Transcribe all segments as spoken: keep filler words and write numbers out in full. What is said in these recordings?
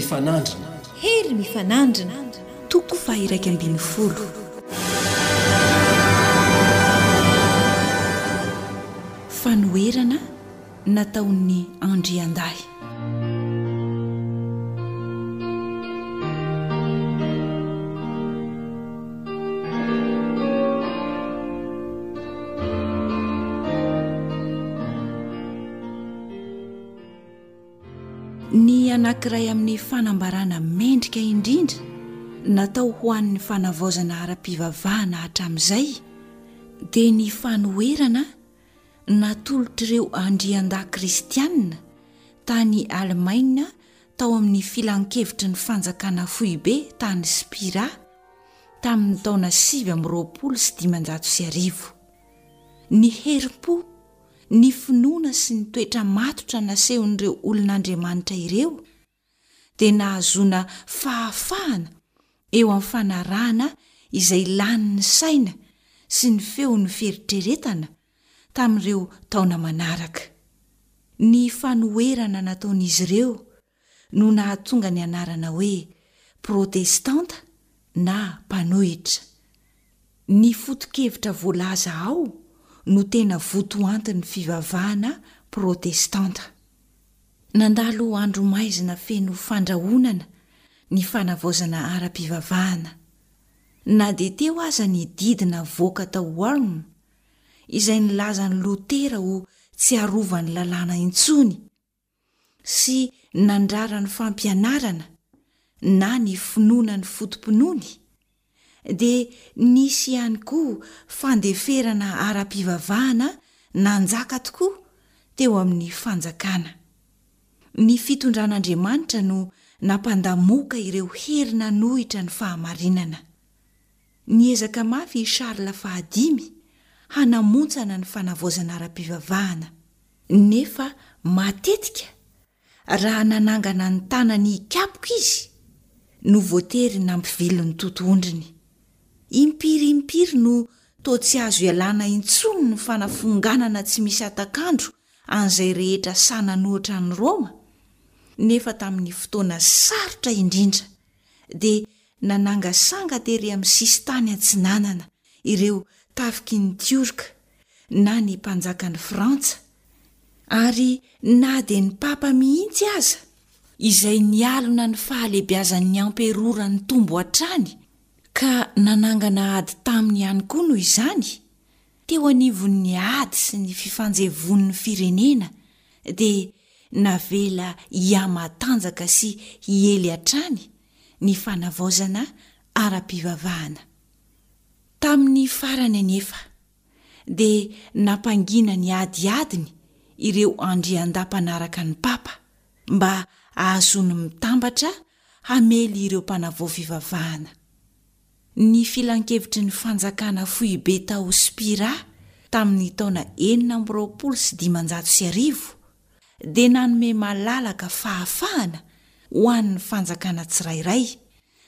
mifanandrina. Hery mifanandrina. Toko faha-iraika ambin'ny folo. Fanoherana nataon'ny andriandahy. Ny anankiray amin'ny fanambarana mendrika indrindra natao ho an'ny fanavaozana ara-pivavahana hatramin'izay dia ny fanoherana natolotr'ireo andriandahy kristianina tany Alemaina tao amin'ny Filankevitry ny Fanjakana Foibe tany Spira tamin'ny taona sivy amby roapolo sy dimanjato sy arivo. Ny herim-po, ny finoana sy ny toetra matotra nasehon'ireo olon'Andriamanitra ireo dia nahazoana fahafahana eo amin'ny fanarahana izay lanin'ny saina sy ny feon'ny fieritreretana tamin'ireo taona manaraka. Ny fanoherana nataon'izy ireo no nahatonga ny anarana hoe Protestanta na mpanohitra. Ny foto-kevitra voalaza ao no tena votoantin'ny fivavahana protestanta. Nandalo andro maizina feno fandrahonana ny fanavaozana ara-pivavahana. Na dia teo aza ny didy navoaka tao Worms, izay nilaza an'i Lotera ho tsy arovan'ny lalàna intsony sy nandrara ny fampianarana na ny finoana ny foto-pinoany, dia nisy ihany koa fandeferana ara-pivavahana nanjaka tokoa teo amin'ny fanjakana. Ny fitondran'Andriamanitra no nampandamoaka ireo hery nanohitra ny fahamarinana. Niezaka mafy i Charles fahadimy hanamontsana ny fanavaozana ara-pivavahana, nefa matetika Raha nanangana ny tanany hikapoka izy no voatery nampivily ny totohondriny. Impiry impiry no toa tsy azo ialana intsony ny fanafonganana tsy misy hatak'andro an'izay rehetra sahy nanohitra an'i Roma, nefa tamin'ny fotoana sarotra indrindra dia nanangasanga tery amin'ny sisintany atsinanana ireo tafiky ny Tiorka na ny mpanjakan'i Frantsa, ary na dia ny papa mihitsy aza, izay nialona ny fahalebiazan'ny amperora nitombo hatrany ka nanangana ady taminy ihany koa noho izany, teo anivon'ny ady sy ny fifanjevoan'ny firenena dia navela hihamatanjaka sy hiely hatrany ny fanavaozana ara-pivavahana. Tamin'ny farany anefa dia nampangina ny adiadiny ireo andriandahy mpanaraka ny papa mba hahazoany mitambatra hamely ireo mpanavao fivavahana. Ny filankevitry ny fanjakana foibe tao Spira tamin'ny taona enina amby roapolo sy dimanjato sy arivo dia nanome malalaka fahafahana ho an'ny fanjakana tsirairay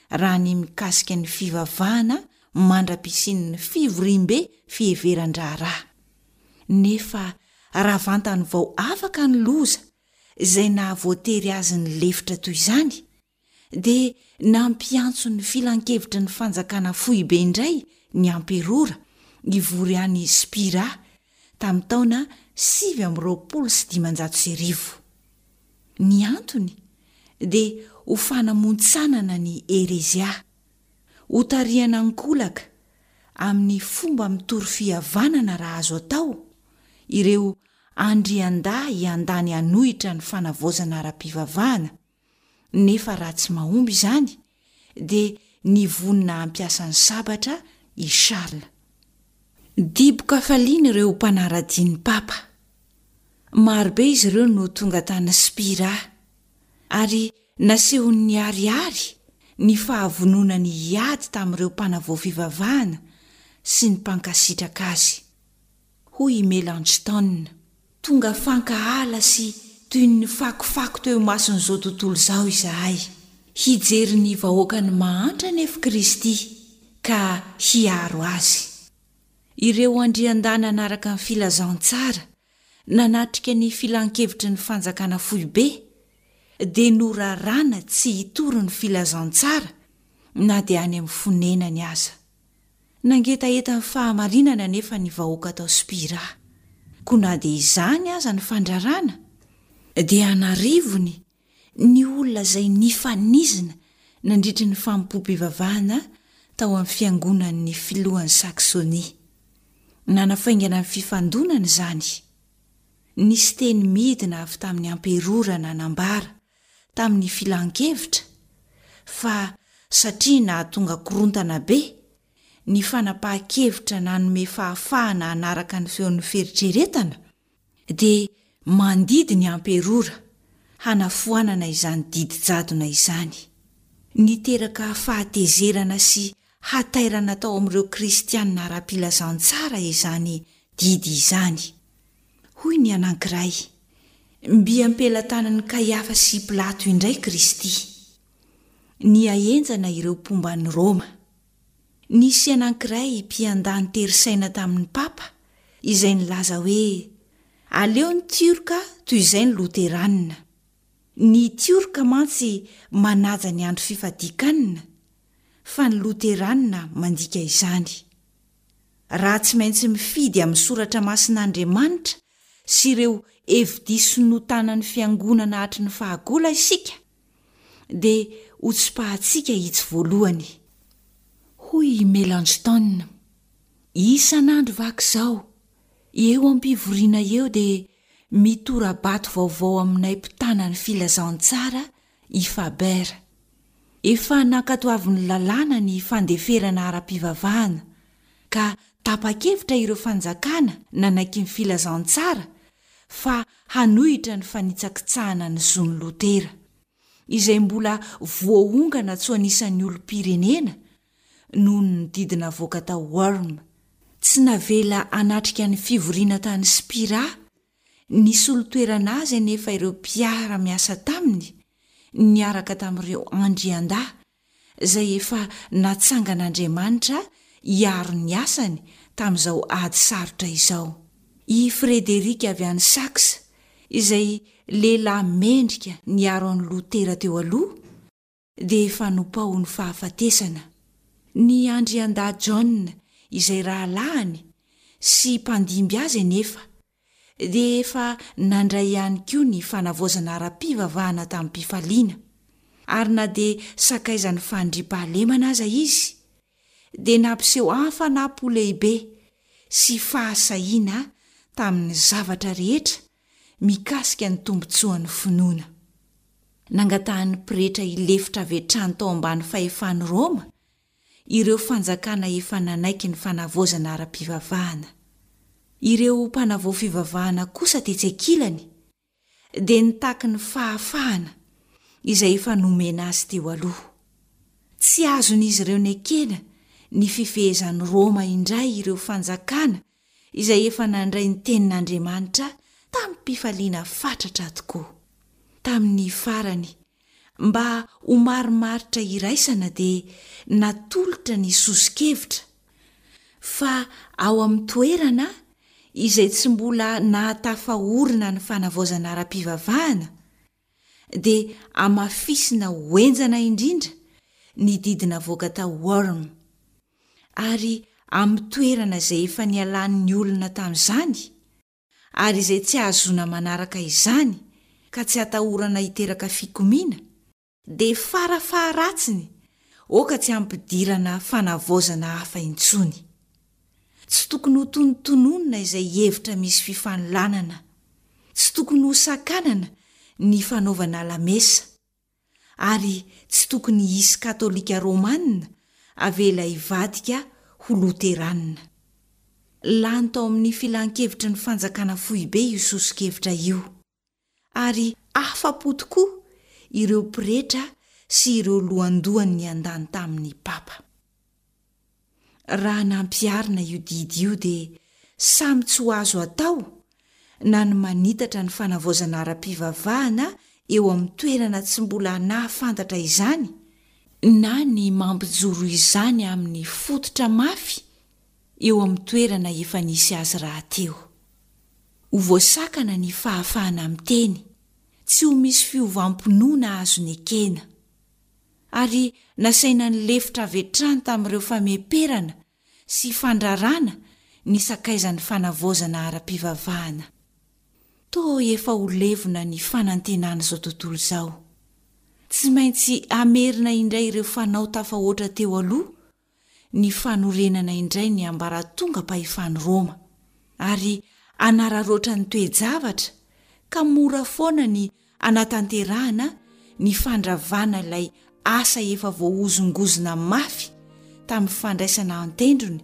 raha ny mikasika ny fivavahana mandra-pisian'ny fivoriambe fiheveran-draharaha. Nefa raha vantany vao afaka ny loza izay nahavoatery azy nilefitra toy izany, dia nampiantso ny filankevitry ny fanjakana foibe indray ny amperora hivory any Spira tamin'ny taona sivy amby roapolo sy dimanjato sy arivo. Ny antony dia ho fanamontsanana ny herezia, hotarihana ankolaka amin'ny fomba mitory fihavanana raha azo atao ireo andriandahy hiandany hanohitra ny fanavaozana ara-pivavahana, nefa raha tsy mahomby izany dia nivonona hampiasa ny sabatra i Charles. Dibo-kafaliana ireo mpanara-dia ny Papa. Marobe izy ireo no tonga tany Spira, ary nasehony niharihary ny fahavononany hiady tamin'ireo mpanavao fivavahana sy ny mpankasitraka azy. Hoy i Melanchthon, Tonga fankahala sy toy ny fakofako teo imason'izao tontolo izao izahay. Hijery ny vahoakany mahantra anefa Kristy, ka hiaro azy. Ireo andriandahy nanaraka ny filazantsara nanatrika ny filankevitry ny fanjakana foibe dia noraràna tsy hitory ny filazantsara na dia any amin'ny fonenany aza. Nangetaheta ny fahamarinana anefa ny vahoaka tao Spira. Koa na dia izany aza ny fandraràna, dia an'arivony ny olona izay nifanizina nandritry ny fanompoam-pivavahana tao amin'ny fiangonan'ny filohan'i Saxonie. Nanafaingana ny fifandonana izany. Nisy teny midina avy tamin'ny amperora nanambara tamin'ny filan-kevitra fa satria nahatonga korontana be ny fanapahan-kevitra nanome fahafahana hanaraka ny feon'ny fieritreretana dia mandidy ny amperora hanafoanana izany didy jadona izany. Niteraka fahatezerana sy hatairana tao amin'ireo Kristianina ara-pilazantsara izany didy izany. Hoy ny anankiray, Mby am-pelatanan'i Kaiafa sy Pilato indray Kristy. Nihahenjana ireo mpomba an'i Roma. Nisy anankiray mpiandany tery saina tamin'ny Papa izay nilaza hoe, Aleo ny Tiorka toy izay ny Loteranina. Ny Tiorka mantsy manaja ny andro fifadian-kanina, fa ny Loteranina mandika izany. Raha tsy maintsy mifidy amin'ny Soratra Masin'Andriamanitra sy ireo hevi-diso notanan'ny Fiangonana hatry ny fahagola isika, dia hotsipahantsika itsy voalohany. Hoy i Melanchthon, Isan'andro vaky izao, eo am-pivoriana eo dia mitora-bato vaovao aminay mpitana ny filazantsara i Faber. Efa nankatoavin'ny lalàna ny fandeferana ara-pivavahana, ka tapa-kevitra ireo fanjakana nanaiky ny filazantsara fa hanohitra ny fanitsakitsahana ny zon'i Lotera, izay mbola voaongana tsy ho anisan'ny olom-pirenena noho ny didy navoaka tao Worms. Tsy navela hanatrika ny fivoriana tany Spira nisolo toerana azy anefa ireo mpiara-miasa taminy niaraka tamin'ireo andriandahy izay efa natsangan'Andriamanitra hiaro ny asany tamin'izao ady sarotra izao. I Frederic avy any Saxe, izay lehilahy mendrika niaro an'i Lotera teo aloha, dia efa nopaohin'ny fahafatesana. Ny andriandahy John izay rahalahiny sy mpandimby azy anefa dia efa nandray ihany koa ny fanavaozana ara-pivavahana tamim-pifaliana, ary na dia sakaizan'ny fandriampahalemana aza izy, dia nampiseho hafanam-po lehibe sy fahasahiana tamin'ny zavatra rehetra mikasika ny tombontsoan'ny finoana. Nangatahan'ny pretra hilefitra avy hatrany tao ambany fahefan'i Roma ireo fanjakana efa nanaiky ny fanavaozana ara-pivavahana. Ireo mpanavao fivavahana kosa tetsy ankilany dia nitaky ny fahafahana izay efa nomena azy teo aloha. Tsy azon'izy ireo nekena ny fifehezan'i Roma indray ireo fanjakana izay efa nandray ny tenin'Andriamanitra tamim-pifaliana fatratra tokoa. Tamin'ny farany, mba ho marimaritra iraisana dia natolotra ny soso-kevitra fa ao amin'ny toerana izay tsy mbola nahatafaorina ny fanavaozana ara-pivavahana dia hamafisina ho henjana indrindra ny didy navoaka tao Worms ary amin'ny toerana izay efa nialan'ny olona tamin'izany ary izay tsy ahazoana manaraka izany ka tsy atahorana hiteraka fikomiana, dia fara faharatsiny oka tsy hampidirana fanavaozana hafa intsony. Tsy tokony ho tonontononina izay hevitra misy fifanolanana, tsy tokony ho sakanana ny fanaovana lamesa, ary tsy tokony hisy Katolika Romana avela hivadika ho Loteranina. Lany tao amin'ny Filan-kevitry ny Fanjakana Foibe io soso-kevitra io, ary afa-po tokoa ireo pretra sy ireo lohandohany niandany tamin'ny papa. Raha nampiharina io didy io dia samy tsy ho azo atao na ny manitatra ny fanavaozana ara-pivavahana eo amin'ny toerana tsy mbola nahafantatra izany na ny mampijoro izany amin'ny fototra mafy eo amin'ny toerana efa nisy azy rahateo. Ho voasakana ny fahafahana miteny, tsy ho misy fiovam-pinoana azo nekena. Ary nasaina nilefitra avy hatrany tamin'ireo fameperana sy fandrarana ny sakaizan'ny fanavaozana ara-pivavahana. Toa efa ho levona ny fanantenan'izao tontolo izao. Tsy maintsy hamerina indray ireo fanao tafahoatra teo aloha ny fanorenana indray ny ambaratongam-pahefan'i Roma, ary hanararaotra ny toe-javatra ka mora foana ny hanatanterahana ny fandravana ilay asa efa voahozongozona mafy tamin'ny fandraisana an-tendrony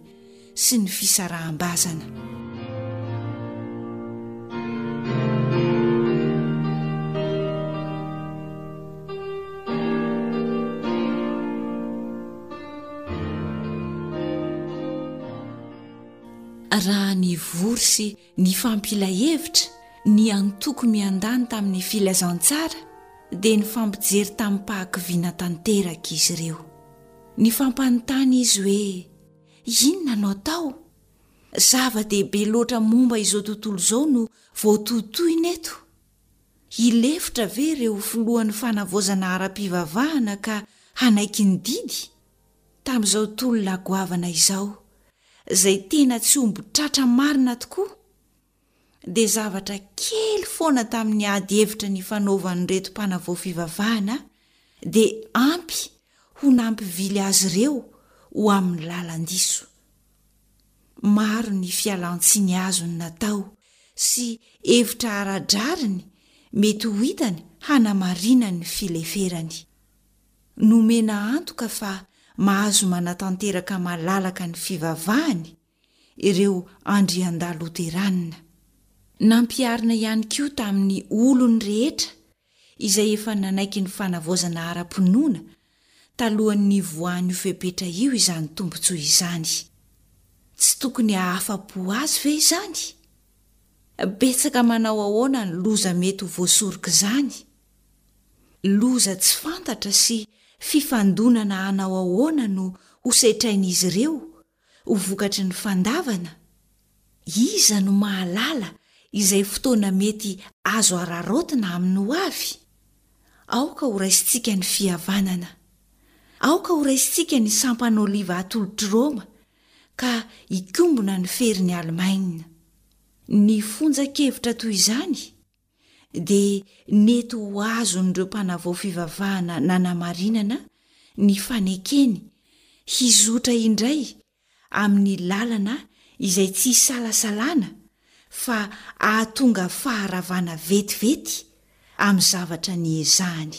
sy ny fisaraham-bazana. Raha nivory sy nifampila hevitra ny antoko miandany tamin'ny filazantsara dia nifampijery tamim-pahakiviana tanteraka izy ireo. Nifampanontany izy hoe, Inona no atao? Zava-dehibe loatra momba izao tontolo izao no voatohintohina eto. Hilefitra ve ireo filohan'ny fanavaozana ara-pivavahana ka hanaiky ny didy? Tamin'izao tolona goavana izao, izay tena tsy omby tratra marina tokoa, dia zavatra kely foana tamin'ny ady hevitra nifanaovan'ireto mpanavao fivavahana dia ampy ho nampivily azy ireo ho amin'ny lalan-diso. Maro ny fialan-tsiny azony natao sy hevitra ara-drariny mety ho hitany hanamarinany ny fileferany. Nomena antoka fa mahazo manatanteraka malalaka ny fivavahany ireo andriandahy loteranina. Nampiharina ihany koa tamin'ny olony rehetra izay efa nanaiky ny fanavaozana ara-pinoana talohan'ny nivoahan'io fepetra io izany tombontsoa izany. Tsy tokony hahafa-po azy ve izany? Betsaka manao ahoana ny loza mety ho voasorok'izany? Loza tsy fantatra sy fifandonana hanao ahoana no hosetrain'izy ireo ho vokatry ny fandavana? Iza no mahalala izay fotoana mety azo araraotina amin'ny ho avy? Aoka horaisintsika ny fihavanana. Aoka horaisintsika ny sampan'oliva atolotr'i Roma ka hikombona ny ferin'i Alemaina. Ny fonjan-kevitra toy izany dia nety ho azon'ireo mpanavao fivavahana nanamarinana ny fanekeny hizotra indray amin'ny lalana izay tsy isalasalana fa hahatonga faharavana vetivety amin'ny zavatra niezahany.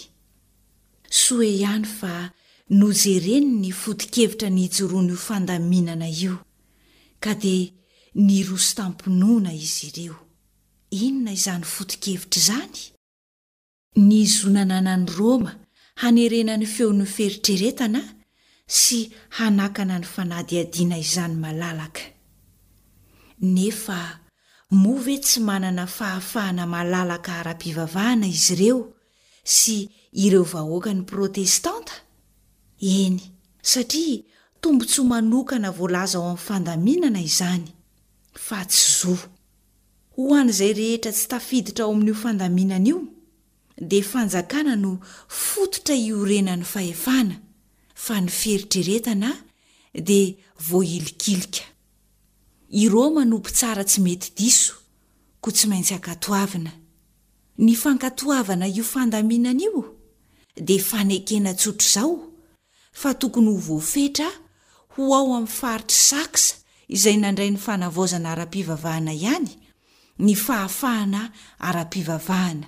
Soa ihany fa nojereny ny foto-kevitra nijoroan'io fandaminana io, ka dia niroso tam-pinoana izy ireo. Inona izany foto-kevitra izany? Ny zo nananan'i Roma hanerena ny feon'ny fieritreretana sy hanakana ny fanadihadiana izany malalaka. Nefa moa ve tsy manana fahafahana malalaka ara-pivavahana izy ireo sy ireo vahoakany protestanta? Eny, satria tombontsoa manokana voalaza ao amin'ny fandaminana izany, fa tsy zo. Ho an'izay rehetra tsy tafiditra ao amin'io fandaminana io, dia fanjakana no fototra iorenan'ny fahefana, fa ny fieritreretana dia voahilikilika. I Roma no mpitsara tsy mety diso, koa tsy maintsy ankatoavina. Ny fankatoavana io fandaminana io dia fanekena tsotr'izao fa tokony ho voafetra ho ao amin'ny faritr'i Saxe izay nandray ny fanavaozana ara-pivavahana ihany ny fahafahana ara-pivavahana,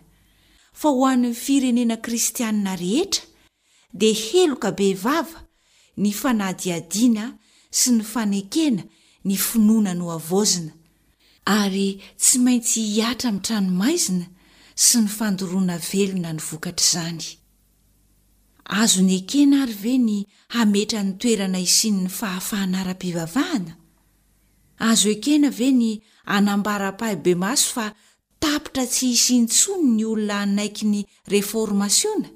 fa ho an'ny firenena kristianina rehetra dia heloka bevava ny fanadihadiana sy ny fanekena ny finoana nohavaozina, ary tsy maintsy hihatra amin'ny tranomaizina sy ny fandoroana velona ny vokatr'izany. Azony ekena ary ve ny hametra ny toerana hisian'ny fahafahana ara-pivavahana? Azo ekena ve ny hanambara ampahibemaso fa tapitra tsy hisy intsony ny olona hanaiky ny Reformasiona,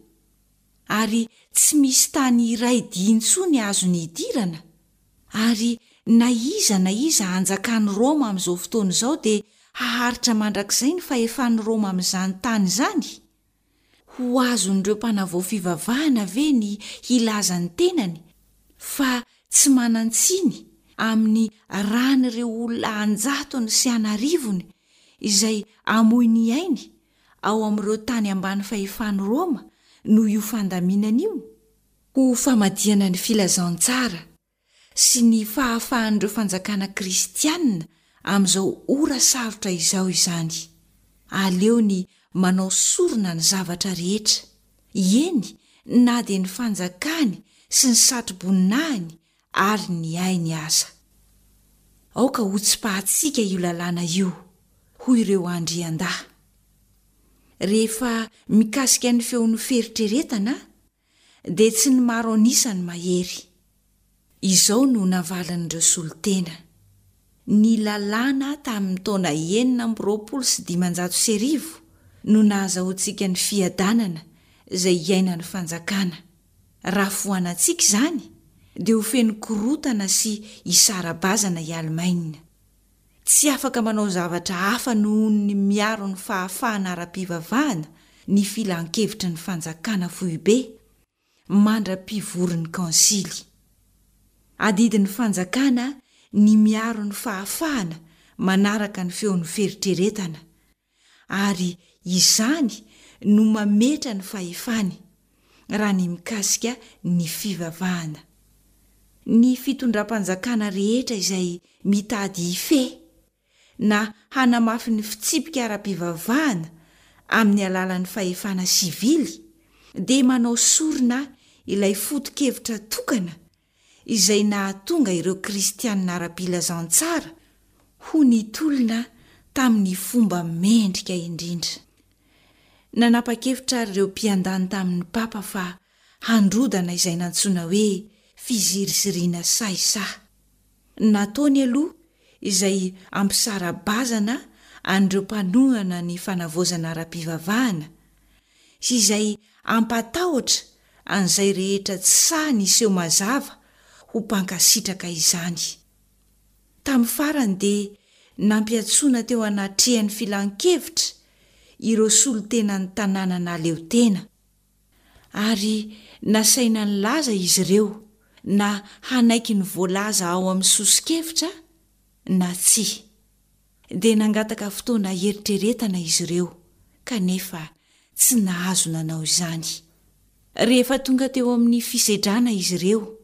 ary tsy misy tany iray dia intsony azony hidirana? Ary na iza na iza hanjakan'i Roma amin'izao fotoana izao dia haharitra mandrakizay ny fahefan'i Roma amin'izany tany izany? Ho azon'ireo mpanavao fivavahana ve ny hilaza ny tenany fa tsy manan-tsiny amin'ny ran'ireo olona an-jatony sy an'arivony izay hamoy ny ainy ao amin'ireo tany ambany fahefan'i Roma noho io fandaminana io? Ho famadihana ny filazantsara sy ny fahafahan'ireo fanjakana kristiana amin'izao ora sarotra izao izany. Aleony manao sorona ny zavatra rehetra, eny na dia ny fanjakany sy ny satroboninahiny ary ny ainy aza. Aoka hotsipahantsika io lalàna io, hoy ireo andriandahy. Rehefa mikasika ny feon'ny fieritreretana dia tsy ny maro an'isa no mahery. Izao no navalin'ireo solontena, Ny lalàna tamin'ny taona enina amby roapolo sy dimanjato sy arivo no nahazahoantsika ny fiadanana izay iainan'ny fanjakana. Raha foanantsika izany, dia ho feno korontana sy hisara-bazana i Alemaina. Tsy afaka manao zavatra hafa noho ny miaro ny fahafahana ara-pivavahana ny filankevitry ny fanjakana foibe mandra-pivorin'ny kaonsily. Adidin'ny fanjakana ny miaro ny fahafahana manaraka ny feon'ny fieritreretana, ary izany no mametra ny fahefany raha ny mikasika ny fivavahana. Ny fitondram-panjakana rehetra izay mitady hifehy na hanamafy ny fitsipika ara-pivavahana amin'ny alalan'ny fahefana sivily dia manao sorona ilay foto-kevitra tokana izay nahatonga ireo Kristianina ara-pilazantsara ho nitolona tamin'ny fomba mendrika indrindra. Nanapa-kevitra àry ireo mpiandany tamin'ny papa fa handrodana izay nantsoina hoe fiziriziriana sahisahy. Nataony aloha izay hampisara-bazana an'ireo mpanohana ny fanavaozana ara-pivavahana sy izay hampatahotra an'izay rehetra tsy sahy niseho mazava ho mpankasitraka izany. Tamin'ny farany dia nampiantsoana teo anatrehan'ny filan-kevitra ireo solontenan'ny tanàna nahaleo tena, ary nasaina nilaza izy ireo na hanaiky ny voalaza ao amin'ny soso-kevitra na tsia. Dia nangataka fotoana hieritreretana izy ireo, kanefa tsy nahazo nanao izany. Rehefa tonga teo amin'ny fisedrana izy ireo,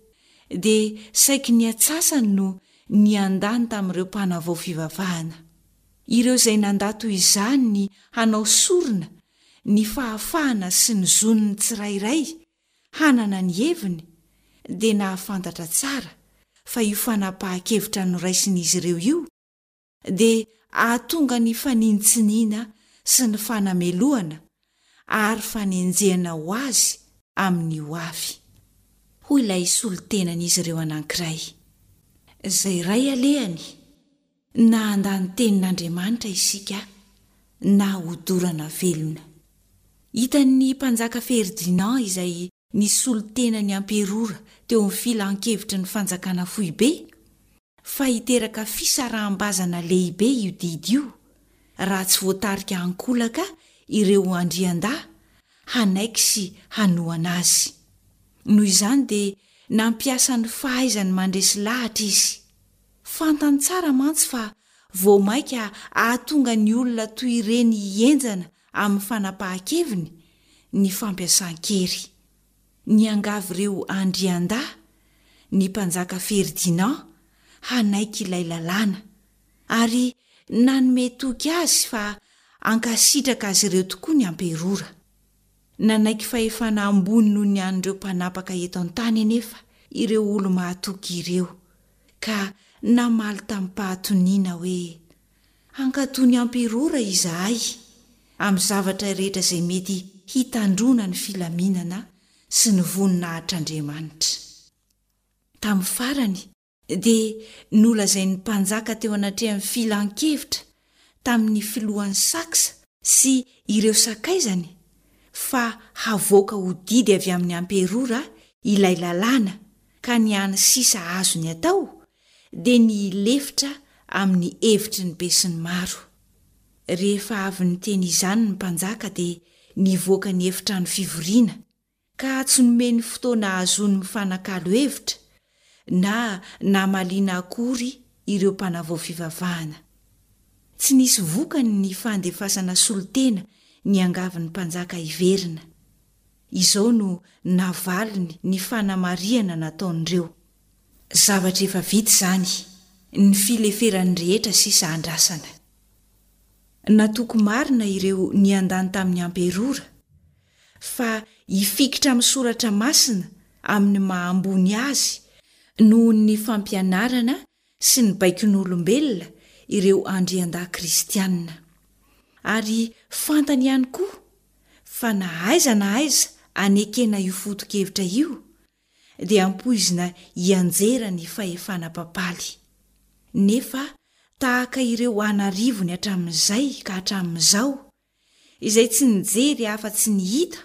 dia saiky ny atsasany no niandany tamin'ireo mpanavao fivavahana. Ireo izay nandà toy izany ny hanao sorona ny fahafahana sy ny zon'ny tsirairay hanana ny heviny dia nahafantatra tsara fa io fanapahan-kevitra noraisin'izy ireo io dia hahatonga ny fanintsiniana sy ny fanamelohana ary fanenjehana ho azy amin'ny ho avy. Hoy ilay solontenan'izy ireo anankiray, Izay iray alehany, na handà ny tenin'Andriamanitra isika na hodorana velona. Hitan'ny mpanjaka Ferdinand izay nisolo tena ny amperora teo amin'ny filan-kevitry ny fanjakana foibe fa hiteraka fisaraham-bazana lehibe io didy io raha tsy voatarika ankolaka ireo andriandahy hanaiky sy hanohana azy. Noho izany dia nampiasa ny fahaizany mandresy lahatra izy. Fantany tsara mantsy fa vao mainka hahatonga ny olona toy ireny hihenjana amin'ny fanapahan-keviny ny fampiasan-kery. Niangavy ireo andriandahy ny mpanjaka Ferdinand hanaiky ilay lalàna, ary nanome toky azy fa hankasitraka azy ireo tokoa ny amperora. Nanaiky fahefana ambony noho ny an'ireo mpanapaka eto an-tany anefa ireo olo-mahatoky ireo, ka namaly tamim-pahatoniana hoe, Hankatò ny amperora izahay amin'ny zavatra rehetra izay mety hitandroana ny filaminana sy ny voninahitr'Andriamanitra. Tamin'ny farany, dia nolazain'ny mpanjaka teo anatrehan'ny filan-kevitra tamin'ny filohan'ny Saxe sy ireo sakaizany fa havoaka ho didy avy amin'ny amperora ilay lalàna ka ny hany sisa azony atao dia ny hilefitra amin'ny hevitry ny besinimaro. Rehefa avy niteny izany ny mpanjaka dia nivoaka ny efitrano fivoriana, ka tsy nomeny fotoana ahazoany mifanakalo hevitra na namaliana akory ireo mpanavao fivavahana. Tsy nisy vokany ny fandefasana solontena niangavy ny mpanjaka hiverina. Izao no navaliny ny fanamarihana nataon'ireo. Zavatra efa vita izany, ny fileferan'ny rehetra sisa andrasana. Natoky marina ireo niandany tamin'ny amperora, fa hifikitra amin'ny Soratra Masina amin'ny maha ambony azy noho ny fampianarana sy ny baikon'olombelona ireo andriandahy kristiana. Ary fantany ihany koa fa na aiza na aiza anekena io foto-kevitra io dia ampoizina hianjera ny fahefana papaly. Nefa tahaka ireo an'arivony hatramin'izay ka hatramin'izao, izay tsy nijery afa-tsy ny hita,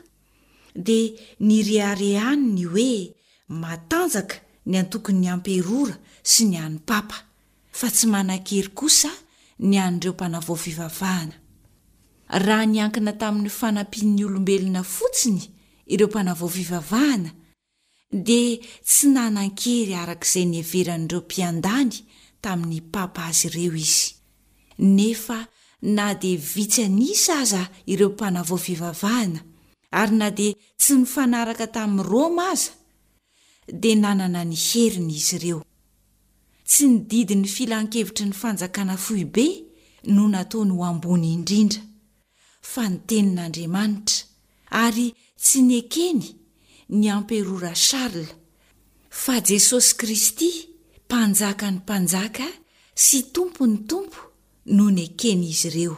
dia nireharehany ny hoe matanjaka ny antokon'ny amperora sy ny an'ny papa, fa tsy manan-kery kosa ny an'ireo mpanavao fivavahana. Raha niankina tamin'ny fanampian'ny olombelona fotsiny ireo mpanavao fivavahana, dia tsy nanan-kery araka izay niheveran'ireo mpiandany tamin'ny papa azy ireo izy. Nefa na dia vitsy an'isa aza ireo mpanavao fivavahana, ary na dia tsy nifanaraka tamin'i Roma aza, dia nanana ny heriny izy ireo. Tsy ny didin'ny filankevitry ny fanjakana foibe no nataony ho ambony indrindra, fa ny Tenin'Andriamanitra, ary tsy nekeny ny Amperora Charles, fa Jesosy Kristy, Mpanjakan'ny mpanjaka sy Tompon'ny tompo no neken'izy ireo.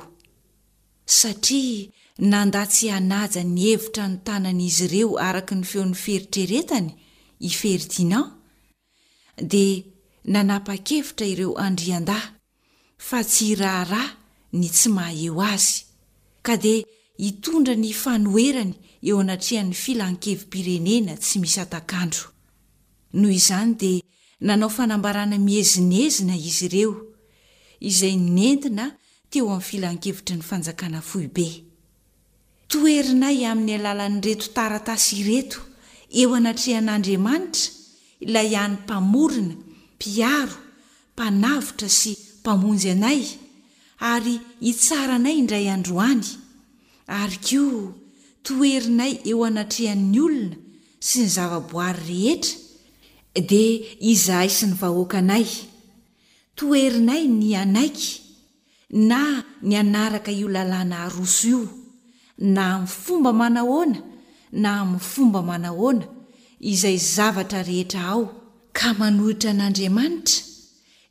Satria nandà tsy hanaja ny hevitra notanan'izy ireo araka ny feon'ny fieritreretany i Ferdinand, dia nanapa-kevitra ireo andriandahy fa tsy hiraharaha ny tsy maha eo azy, ka dia hitondra ny fanoherany eo anatrehan'ny filan-kevi-pirenena tsy misy hatak'andro. Noho izany dia nanao fanambarana miezinezina izy ireo, izay nentina teo amin'ny filan-kevitry ny fanjakana foibe. Toherinay amin'ny alalan'ireto taratasy ireto eo anatrehan'Andriamanitra ilay hany Mpamorona, Mpiaro, Mpanavotra sy Mpamonjy anay, ary hitsara anay indray andro any, ary koa toherinay eo anatrehan'ny olona sy ny zavaboary rehetra, dia izahay sy ny vahoakanay. Toherinay ny hanaiky na ny hanaraka io lalàna aroso io, na amin'ny fomba manahoana na amin'ny fomba manahoana, izay zavatra rehetra ao, ka manohitra an'Andriamanitra,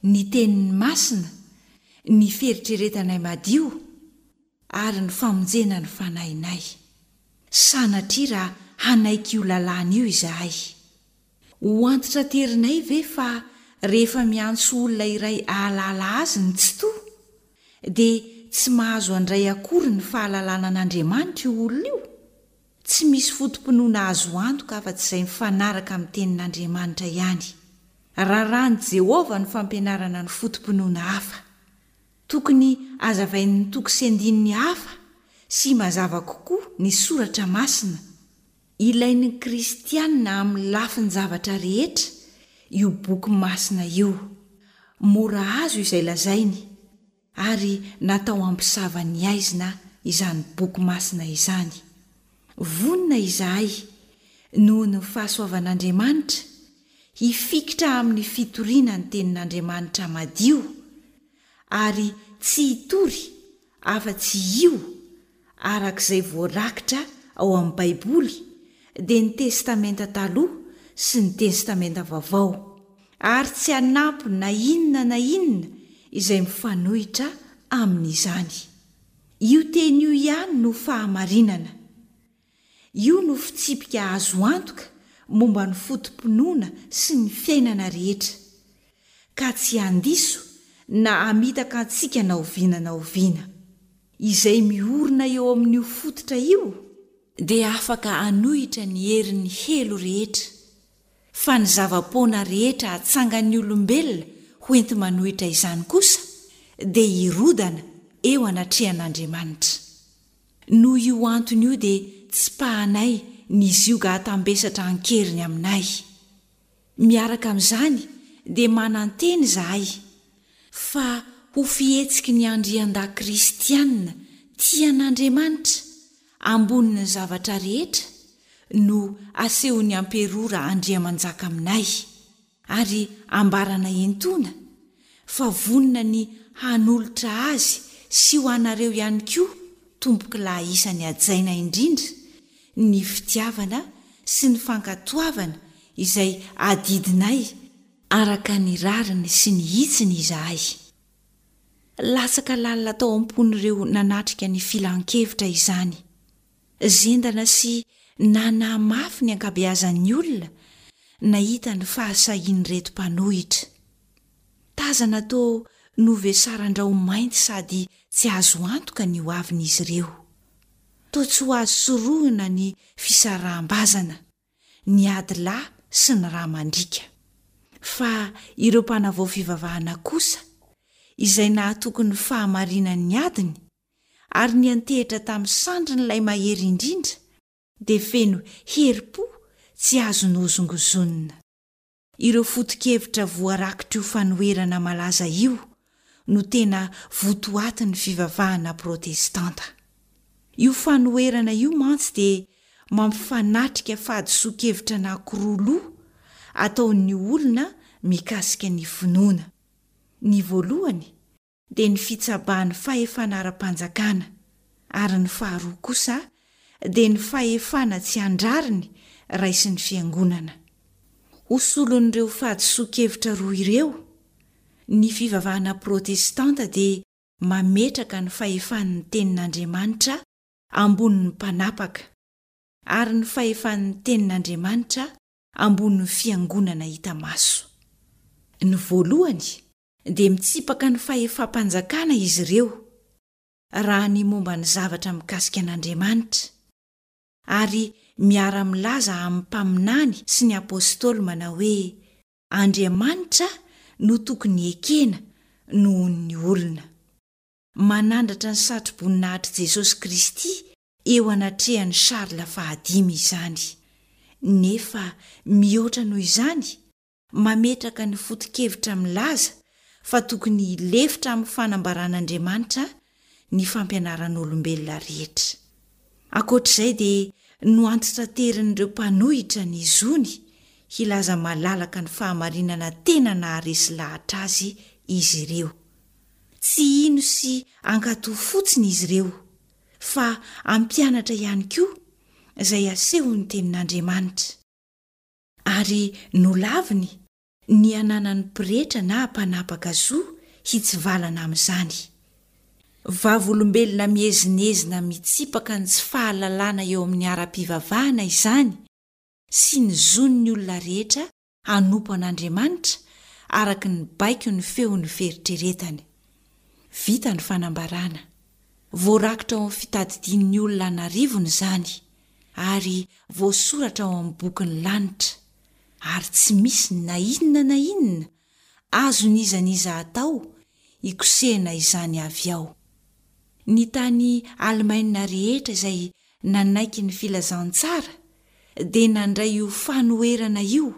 ny Teniny masina, ny fieritreretanay madio, ary ny famonjena ny fanahinay. Sanatria raha hanaiky io lalàna io izahay. Ho antitraterinay ve fa rehefa miantso olona iray hahalala azy ny Tsitoha, dia tsy mahazo handray akory ny fahalalana an'Andriamanitra io olona io? Tsy misy foto-pinoana azo antoka afa-tsy izay mifanaraka amin'ny Tenin'Andriamanitra ihany. Raràn'i Jehovah ny fampianarana ny foto-pinoana hafa. Tokony hazavain'ny toko sy andininy hafa sy mazava kokoa ny Soratra Masina. Ilain'ny kristiana amin'ny lafin-javatra rehetra io boky masina io. Mora azo izay lazainy, ary natao hampisava ny haizina izany boky masina izany. Vonona izahay, noho ny fahasoavan'Andriamanitra, hifikitra amin'ny fitoriana ny Tenin'Andriamanitra madio, ary tsy hitory afa-tsy io araka izay voarakitra ao amin'ny Baiboly, dia ny Testamenta Taloha sy ny Testamenta Vaovao, ary tsy hanampy na inona na inona izay mifanohitra amin'izany. Io teny io ihany no fahamarinana. Io no fitsipika azo antoka momba ny foto-pinoana sy ny fiainana rehetra, ka tsy handiso na hamitaka antsika na oviana na oviana. Izay miorina eo amin'io fototra io dia afaka hanohitra ny herin'ny helo rehetra, fa ny zava-poana rehetra atsangan'ny olombelona ho enti-manohitra izany kosa dia hirodana eo anatrehan'Andriamanitra. Noho io antony io dia tsipahanay ny zioga hatambesatra an-keriny aminay. Miaraka amin'izany dia manantena izahay fa ho fihetsiky ny andriandahy kristiana tia an'Andriamanitra ambonin'ny zavatra rehetra no asehon'ny amperora Andriamanjaka aminay ary ambaranay entoana fa vonona ny hanolotra azy sy ho anareo ihany koa tompokolahy isany hajaina indrindra ny fitiavana sy ny fankatoavana izay adidinay araka ny rariny sy ny hitsiny izahay. Latsaka lalina tao am-pon'ireo nanatrika ny filan-kevitra izany. Zendana sy nanahy mafy ny ankabeazan'ny olona nahita ny fahasahian'ireto mpanohitra. Tazana toa novesaran-drao-mainty sady tsy azo antoka ny hoavin'izy ireo. Toa tsy ho azo sorohina ny fisaraham-bazana, ny ady lahy sy ny rà mandriaka. Fa ireo mpanavao fivavahana kosa, izay nahatoky ny fahamarinan'ny adiny ary niantehitra tamin'ny sandrin'ilay Mahery Indrindra, dia feno herim-po tsy azo nohozongozonina. Ireo foto-kevitra voarakitr'io fanoherana malaza io no tena votoatin'ny fivavahana protestanta. Io fanoherana io mantsy dia mampifanatrika fahadisoan-kevitra anankiroa loha ataon'ny olona mikasika ny finoana. Ny voalohany dia ny fitsabahan'ny fahefana ara-panjakana, ary ny faharoa kosa dia ny fahefana tsy an-drariny raisin'ny fiangonana. Ho solon'ireo fahadisoan-kevitra roa ireo, ny fivavahana protestanta dia mametraka ny fahefan'ny Tenin'Andriamanitra ambonin'ny mpanapaka, ary ny fahefan'ny Tenin'Andriamanitra ambonin'ny fiangonana hita maso. Ny voalohany dia mitsipaka ny fahefam-panjakana izy ireo raha ny momba ny zavatra mikasika an'Andriamanitra, ary miara-milaza amin'ny mpaminany sy ny apostoly manao hoe Andriamanitra no tokony hekena noho ny olona. Manandratra ny satroboninahitry Jesosy Kristy eo anatrehan'i Charles fahadimy izany. Nefa mihoatra noho izany, mametraka ny foto-kevitra milaza fa tokony hilefitra amin'ny fanambaran'Andriamanitra ny fampianaran'olombelona rehetra. Ankoatra izay dia noantitraterin'ireo mpanohitra ny zony hilaza malalaka ny fahamarinana tena naharesy lahatra azy izy ireo. Tsy hino sy hankatò fotsiny izy ireo, fa hampianatra ihany koa izay asehon'ny Tenin'Andriamanitra. Ary nolaviny ny hananan'ny pretra na mpanapaka zo hitsivalana amin'izany. Vavolombelona miezinezina mitsipaka ny tsy fahalalana eo amin'ny ara-pivavahana izany sy ny zon'ny olona rehetra hanompo an'Andriamanitra araka ny baikon'ny feon'ny fieritreretany. Vita ny fanambarana. Voarakitra ao amin'ny fitadidian'ny olona an'arivony izany, ary voasoratra ao amin'ny bokin'ny lanitra, ary tsy misy na inona na inona azon'iza n'iza atao hikosehana izany avy ao. Ny tany Alemaina rehetra izay nanaiky ny filazantsara dia nandray io fanoherana io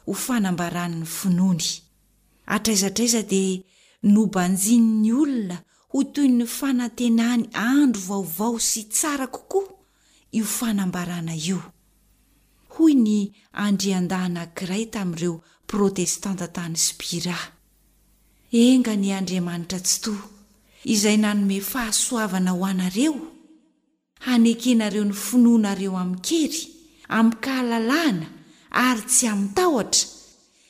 ho fanambarany ny finoany. Hatraiza hatraiza dia nobanjinin'ny olona ho toy ny fanantenany andro vaovao sy tsara kokoa io fanambarana io. Hoy ny andriandahy anankiray tamin'ireo Protestanta tany Spira, Enga anie Andriamanitra Tsitoha, izay nanome fahasoavana ho anareo, hanekenareo ny finoanareo amin-kery, amin-kahalalahana ary tsy amin-tahotra,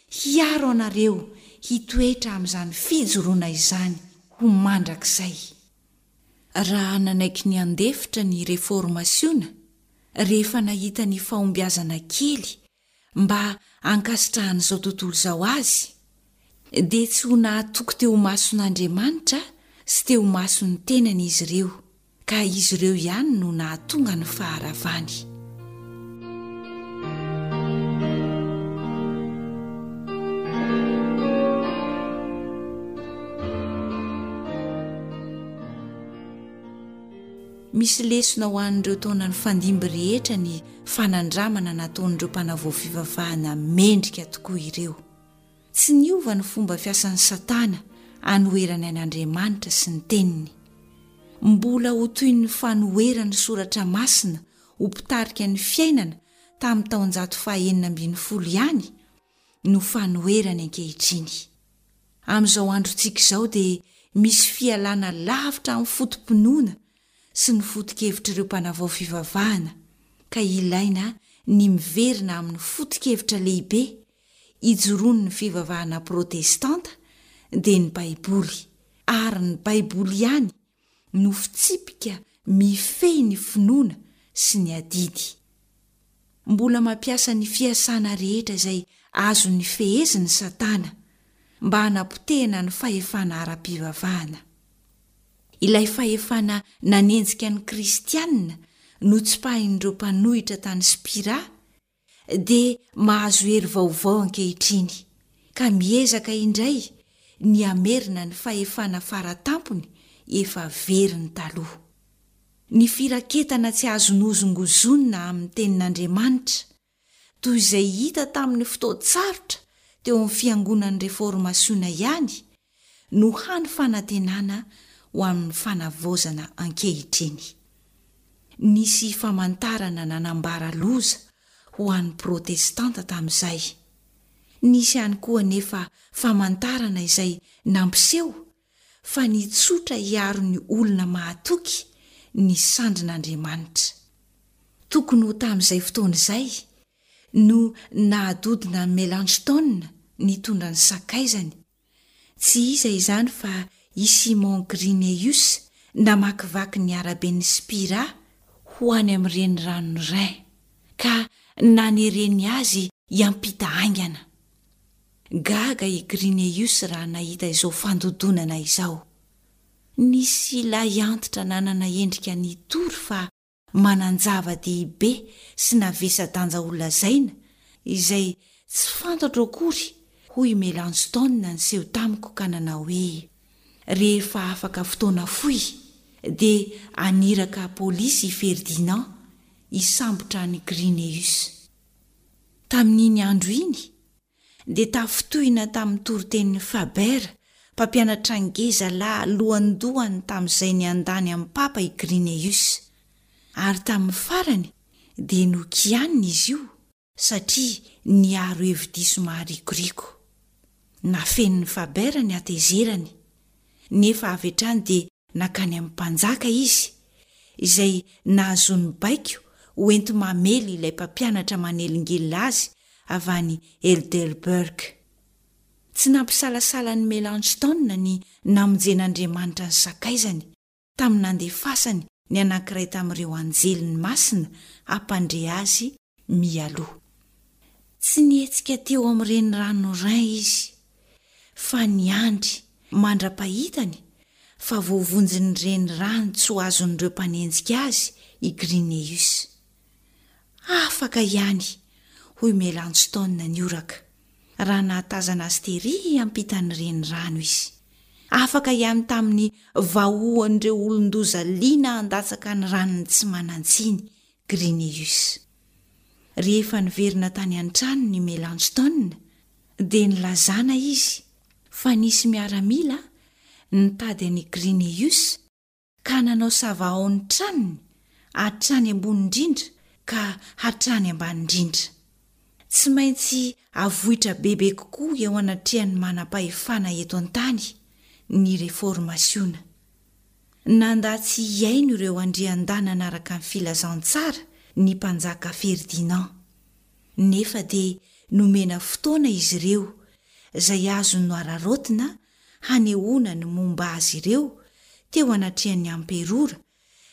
hiaro anareo hitoetra amin'izany fijoroana izany ho mandrakizay. Raha nanaiky ny handefitra ny Reformasiona rehefa nahita ny fahombiazana kely mba hankasitrahan'izao tontolo izao azy, dia tsy ho nahatoky teo imason'Andriamanitra sy teo imason'ny tenany izy ireo, ka izy ireo ihany no nahatonga ny faharavany. Misy lesona ho an'ireo taona nifandimby rehetra ny fanandramana nataon'ireo mpanavao fivavahana mendrika tokoa ireo. Tsy niova ny fomba fiasan'i Satana hanoherany an'Andriamanitra sy ny Teniny. Mbola ho toy ny fanoheran'ny Soratra Masina ho mpitarika ny fiainana tamin'ny taonjato fahenina ambin'ny folo ihany no fanoherany ankehitriny. Amin'izao androntsika izao dia misy fialana lavitra amin'ny foto-pinoana sy ny foto-kevitr'ireo mpanavao fivavahana ka ilaina ny miverina amin'ny foto-kevitra lehibe ijoroan'ny fivavahana protestanta dia ny Baiboly, ary ny Baiboly ihany no fitsipika mifehy ny finoana sy ny adidy. Mbola mampiasa ny fiasana rehetra izay azony feheziny Satana mba hanapotehana ny fahefana ara-pivavahana. Ilay fahefana nanenjika ny Kristianina notsipahin'ireo mpanohitra tany Spira dia mahazo hery vaovao ankehitriny, ka miezaka indray ny hamerina ny fahefana fara tampony efa veriny taloha. Ny firaketana tsy azo nohozongozonina amin'ny Tenin'Andriamanitra, toy izay hita tamin'ny fotoan-tsarotra teo amin'ny Fiangonan'ny Reformasiona ihany, no hany fanantenana ho amin'ny fanavaozana ankehitriny. Nisy famantarana nanambara loza ho an'ny Protestanta tamin'izay. Nisy ihany koa anefa famantarana izay nampiseho fa nitsotra hiaro ny olona mahatoky ny sandrin'Andriamanitra. Tokony ho tamin'izay fotoana izay no nahadodona an'i Melanchthon nitondra ny sakaizany. Tsy iza izany fa i Simon Grynaeus namakivaky ny araben'i Spira ho any amin'ny reniranon'i Rhin, ka nanereny azy hiampita haingana. Gaga i Grynaeus raha nahita izao fandodonana izao. Nisy lahiantitra nanana endrika nitory fa manan-java-dehibe sy navesa-danja holazaina izay tsy fantatro akory, hoy i Melanchthon niseho tamiko ka nanao hoe, Rehefa afaka fotoana fohy dia haniraka polisy i Ferdinand hisambotra an'i Grynaeus. Tamin'iny andro iny, dia tafintohina tamin'ny toritenin'i Faber, mpampianatra ngeza lahy lohandohany tamin'izay niandany amin'ny Papa i Grynaeus. Ary tamin'ny farany dia nokianina izy io satria niaro hevi-diso maharikoriko. Nafenin'i Faber ny hatezerany, nefa avy hatrany dia Nankany amin'ny mpanjaka izy, izay nahazoany baiko ho enti-mamely ilay mpampianatra manelingelina azy avy any Heidelberg. Tsy nampisalasala an'i Melanchthon ny namonjen'Andriamanitra ny sakaizany, tamin'ny nandefasany ny anankiray tamin'ireo anjeliny masina hampandre azy mialoha. Tsy nihetsika teo amin'ny renirano Rhin izy, fa niandry mandra-pahitany fa voavonjin'ny renirano tsy ho azon'ireo mpanenjika azy i Grynaeus. Afaka ihany, hoy Melanchthon nihoraka, raha nahatazana azy tery ampitan'ny renirano izy. Afaka ihany tamin'ny vahohon'ireo olon-doza liana handatsaka ny ranony tsy manan-tsiny Grynaeus. Rehefa niverina tany an-tranony i Melanchthon, dia nilazana izy fa nisy miaramila nitady an'i Grynaeus ka nanao savahao ny tranony hatrany ambony indrindra ka hatrany ambany indrindra. Tsy maintsy avoitra bebe kokoa eo anatrehan'ny manam-pahefana eto an-tany ny Reformasiona. Nandà tsy hihaino ireo andriandahy nanaraka ny filazantsara ny mpanjaka Ferdinand. Nefa dia nomena fotoana izy ireo, izay azony noararaotina hanehoana ny momba azy ireo teo anatrehan'ny amperora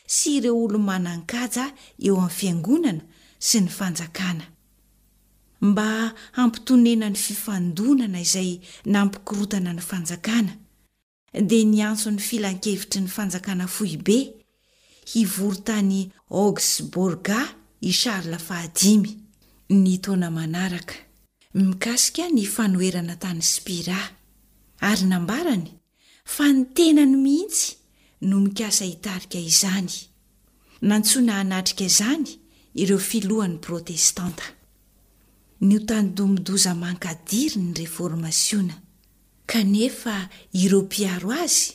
sy ireo olo-manan-kaja eo amin'ny fiangonana sy ny fanjakana. Mba hampitonena ny fifandonana izay nampikorontana ny fanjakana, dia niantso ny Filankevitry ny Fanjakana Foibe hivory tany Augsburg i Charles fahadimy, ny taona manaraka, mikasika ny fanoherana tany Spira, ary nambarany fa ny tenany mihitsy no mikasa hitarika izany. Nantsoina hanatrika izany ireo filohan'ny Protestanta. Notandindomin-doza mankadiry ny Reformasiona, kanefa ireo mpiaro azy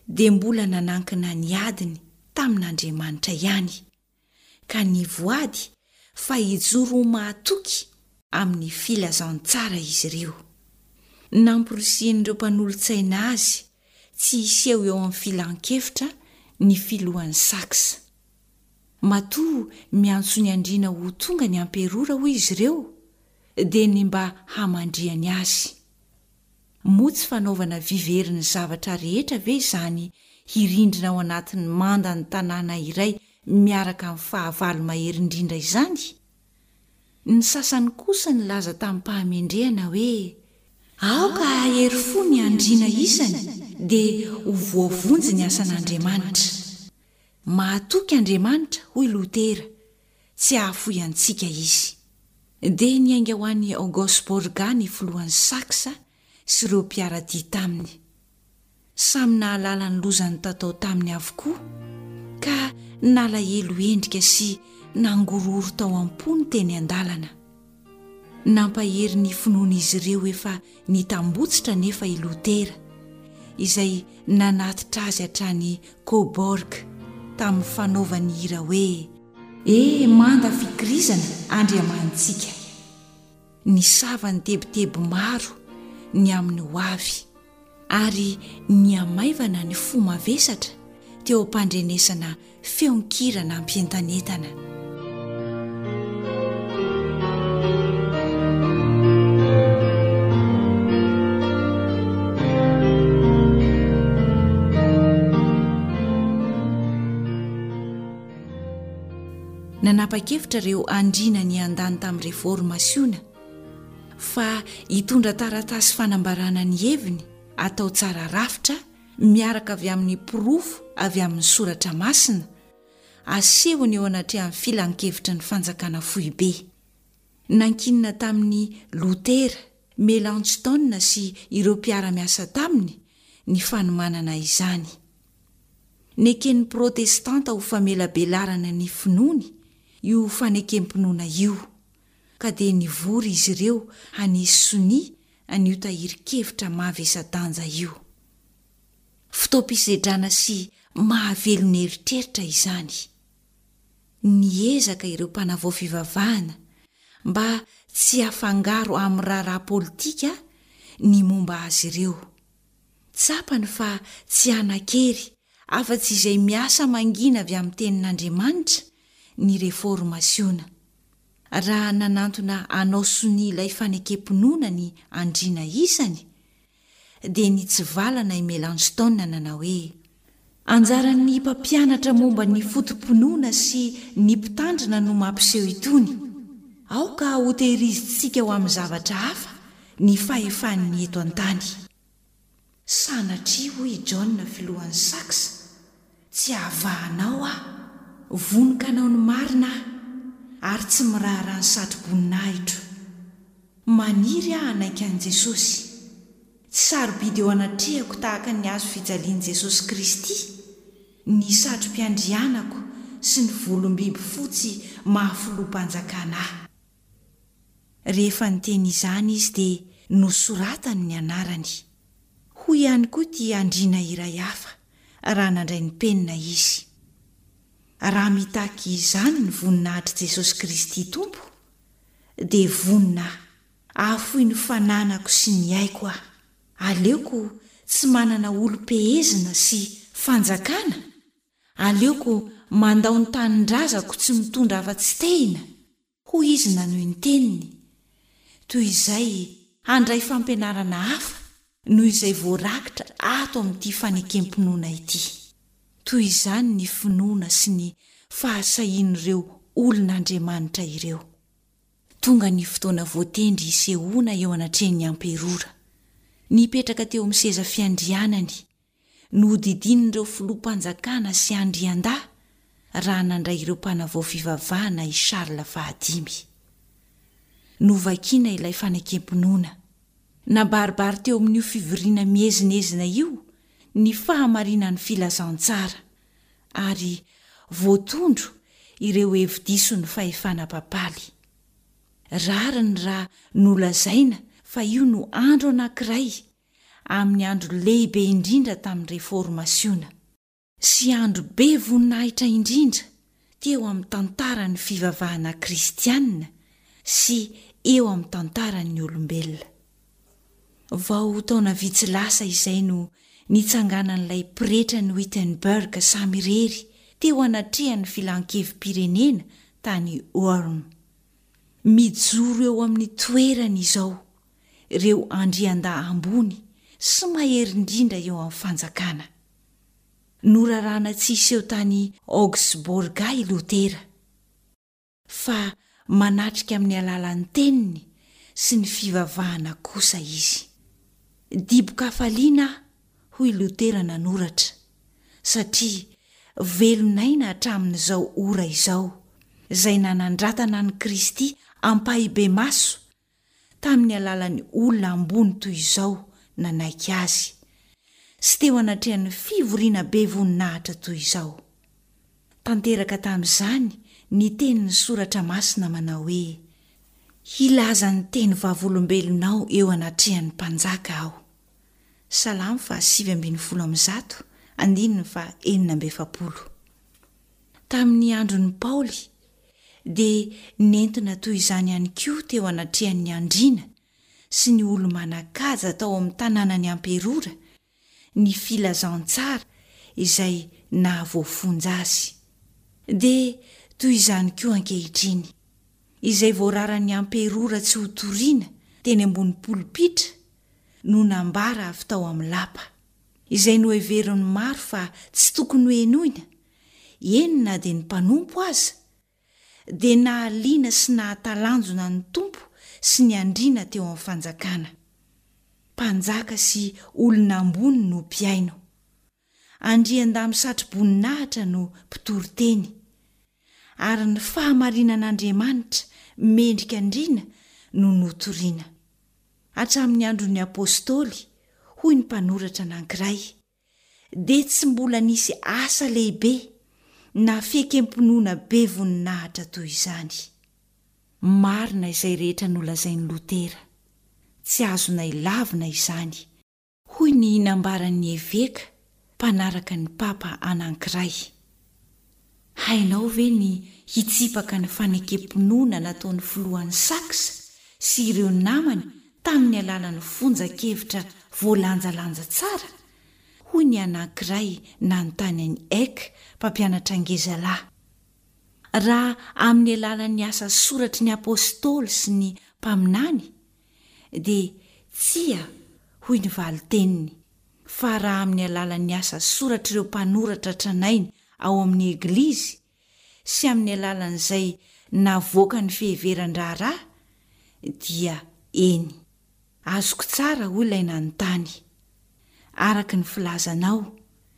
dia mbola nanankina ny adiny tamin'Andriamanitra ihany, ka nivoady fa hijoro ho mahatoky amin'ny filazantsara izy ireo. Namporisihin'ireo mpanolotsaina azy tsy hiseho eo amin'ny filan-kevitra ny filohan'ny Saxe. Matoa miantso ny andriana ho tonga ny amperora, hoy izy ireo, dia ny mba hamandrihany azy. Moa tsy fanaovana vy very ny zavatra rehetra ve izany hirindrina ao anatin'ny mandan'ny tanàna iray miaraka amin'ny fahavalo mahery indrindra izany? Ny sasany kosa nilaza tamim-pahamendrehana hoe, Aoka hahery fo ny andriana isany dia ho voavonjy ny asan'Andriamanitra. Mahatoky Andriamanitra, hoy Lotera, tsy hahafoy antsika Izy. Dia niainga ho any Augsburg ny filohan'i Saxe sy ireo mpiara-dia taminy. Samy nahalala ny loza nitatao taminy avokoa, ka nalahelo endrika sy nangorohoro tao am-pony teny an-dalana. Nampahery ny finoan'izy ireo efa nitambotsitra anefa i Lotera, izay nanatitra azy hatrany Coburg tamin'ny fanaovany hira hoe E manda fikirizana Andriamanitsika. Nisava ny tebiteby maro ny amin'ny ho avy, ary nihamaivana ny fo mavesatra teo am-pandrenesana feon-kira nampientanentana. Nanapa-kevitra ireo andriana niandany tamin'ny Reformasiona fa hitondra taratasy fanambarana ny heviny atao tsara rafitra miaraka avy amin'ny porofo avy amin'ny Soratra Masina asehony eo anatrehan'ny Filankevitry ny Fanjakana foibe. Nankinina tamin'i Lotera, Melanchthon sy ireo mpiara-miasa taminy ny fanomanana izany. Neken'ny Protestanta ho famelabelarana ny finoany io fanekem-pinoana io, ka dia nivory izy ireo hanisy sonia an'io tahirin-kevitra mavesa-danja io. Fotoam-pisedrana sy mahavelon'eritreritra izany. Niezaka ireo mpanavao fivavahana mba tsy hafangaro amin'ny raharaha politika ny momba azy ireo. Tsapany fa tsy hanan-kery afa-tsy izay miasa mangina avy amin'ny Tenin'Andriamanitra ny Reformasiona. Raha nanantona hanao sonia ilay fanekem-pinoana ny andriana isany, dia nitsivalana i Melanchthon nanao hoe, Anjaran'ny mpampianatra momba ny foto-pinoana sy ny mpitandrina no mampiseho itony. Aoka hotehirizintsika ho amin'ny zavatra hafa ny fahefan'ny eto an-tany. Sanatria, hoy i John filohan'ny Saxe, tsy hahavahanao aho. Vonon-kanao ny marina aho, ary tsy miraharaha ny satroboninahitro. Maniry aho hanaiky an'i Jesosy. Tsy sarobidy eo anatrehako tahaka ny hazo fijalian'i Jesosy Kristy ny satrom-piandrianako sy ny volom-biby fotsy maha filoham-panjakana ahy. Rehefa niteny izany izy dia nosoratany ny anarany. Hoy ihany koa ity andriana iray hafa raha nandray ny penina izy, Raha mitaky izany ny voninahitr'i Jesosy Kristy Tompo, dia vonona aho hahafoy ny fananako sy ny aiko aho. Aleoko tsy manana olom-pehezina sy fanjakana, aleoko mandao ny tanindrazako tsy mitondra afa-tsy tehina, Hoy izy nanohy ny teniny, toy izay handray fampianarana hafa noho izay voarakitra ato amin'ity fanekem-pinoana ity. Toy izany ny finoana sy ny fahasahian'ireo olon'Andriamanitra ireo. Tonga ny fotoana voatendry hisehoana eo anatrehan'ny amperora. Nipetraka teo amin'ny seza fiandrianany Nohodidinin'ireo filoham-panjakana sy andriandahy raha nandray ireo mpanavao fivavahana i Charles fahadimy. Novakina ilay fanekem-pinoana. Nabaribary teo amin'io fivoriana miezinezina io ny fahamarinan'ny filazantsara, ary voatondro ireo hevi-dison'ny fahefana papaly. Rariny raha nolazaina fa io no andro anankiray amin'ny andro lehibe indrindra tamin'ny Reformasiona, sy andro be voninahitra indrindra teo amin'ny tantaran'ny fivavahana kristiana sy eo amin'ny tantaran'ny olombelona. Vao taona vitsy lasa izay no nitsanganan'ilay pretran'i Wittenberg samirery teo anatrehan'ny filan-kevi-pirenena tany Worms. Mijoro eo amin'ny toerany izao ireo andriandahy ambony sy mahery indrindra eo amin'ny fanjakana. Norarana tsy hiseho tany Augsburg i Lotera, fa manatrika amin'ny alalan'ny teniny sy ny fivavahana kosa izy. Dibo-kafaliana aho, hoy Lotera nanoratra, satria velon'aina hatramin'izao ora izao, izay nanandratana an'i Kristy ampahibemaso tamin'ny alalan'ny olona ambony toy izao nanaiky azy, sy teo anatrehan'ny fivoriana be voninahitra toy izao. Tanteraka tamin'izany ny tenin'ny Soratra Masina manao hoe, Hilaza ny teny vavolombelonao eo anatrehan'ny mpanjaka aho. Salamo faha sivy ambin'ny folo amby zato, andininy faha enina amby efapolo. Tamin'ny andron'i Paoly, dia nentina toy izany ihany koa teo anatrehan'ny andriana sy ny olo-manan-kaja tao amin'ny tanànan'i Amperora ny filazantsara izay nahavoafonja azy. Dia toy izany koa ankehitriny. Izay voararan'ny amperora tsy hotorina teny ambony polipitra no nambara avy tao amin'ny lapa. Izay noheverin'ny maro fa tsy tokony hohenoina, eny na dia ny mpanompo aza, dia nahaliana sy nahatalanjona ny Tompo sy ny andriana teo amin'ny fanjakana. Mpanjaka sy olona ambony no mpihaino. Andriandahy misatro-boninahitra no mpitory teny. Ary ny fahamarinan'Andriamanitra mendrika andriana no notorina. Hatramin'ny andron'ny Apostoly, hoy ny mpanoratra anankiray, dia tsy mbola nisy asa lehibe na fiekem-pinoana be voninahitra toy izany. Marina izay rehetra nolazain'i Lotera. Tsy azonay lavina izany, hoy ny nambaran'ny eveka mpanaraka ny papa anankiray. Hainao ve ny hitsipaka ny fanekem-pinoana nataon'ny filohan'ny Saxe sy ireo namany tamin'ny alalan'ny fonjan-kevitra voalanjalanja tsara? hoy ny anankiray nanontany an'i Eck, mpampianatra ngezalahy. Raha amin'ny alalan'ny asa soratry ny apostoly sy ny mpaminany, dia tsia, hoy ny valin-teniny, fa raha amin'ny alalan'ny asa soratr'ireo mpanoratra tranainy ao amin'ny Eglizy sy amin'ny alalan'izay navoakan'ny fiheveran-draharaha, dia eny. Azoko tsara, hoy ilay nanontany. Araka ny filazanao,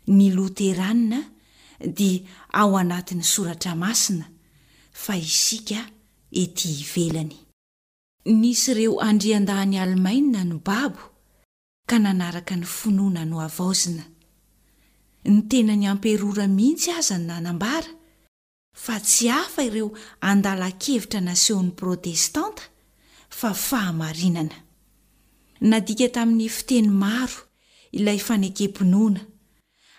ny Loterana dia ao anatin'ny Soratra Masina, fa isika ety ivelany. Nisy ireo andriandahin'i Alemaina no babo ka nanaraka ny finoana nohavaozina. Ny tenan'ny amperora mihitsy aza nanambara fa tsy hafa ireo andalan-kevitra nasehon'ny Protestanta fa fahamarinana. Nadika tamin'ny fiteny maro ilay fanekem-pinoana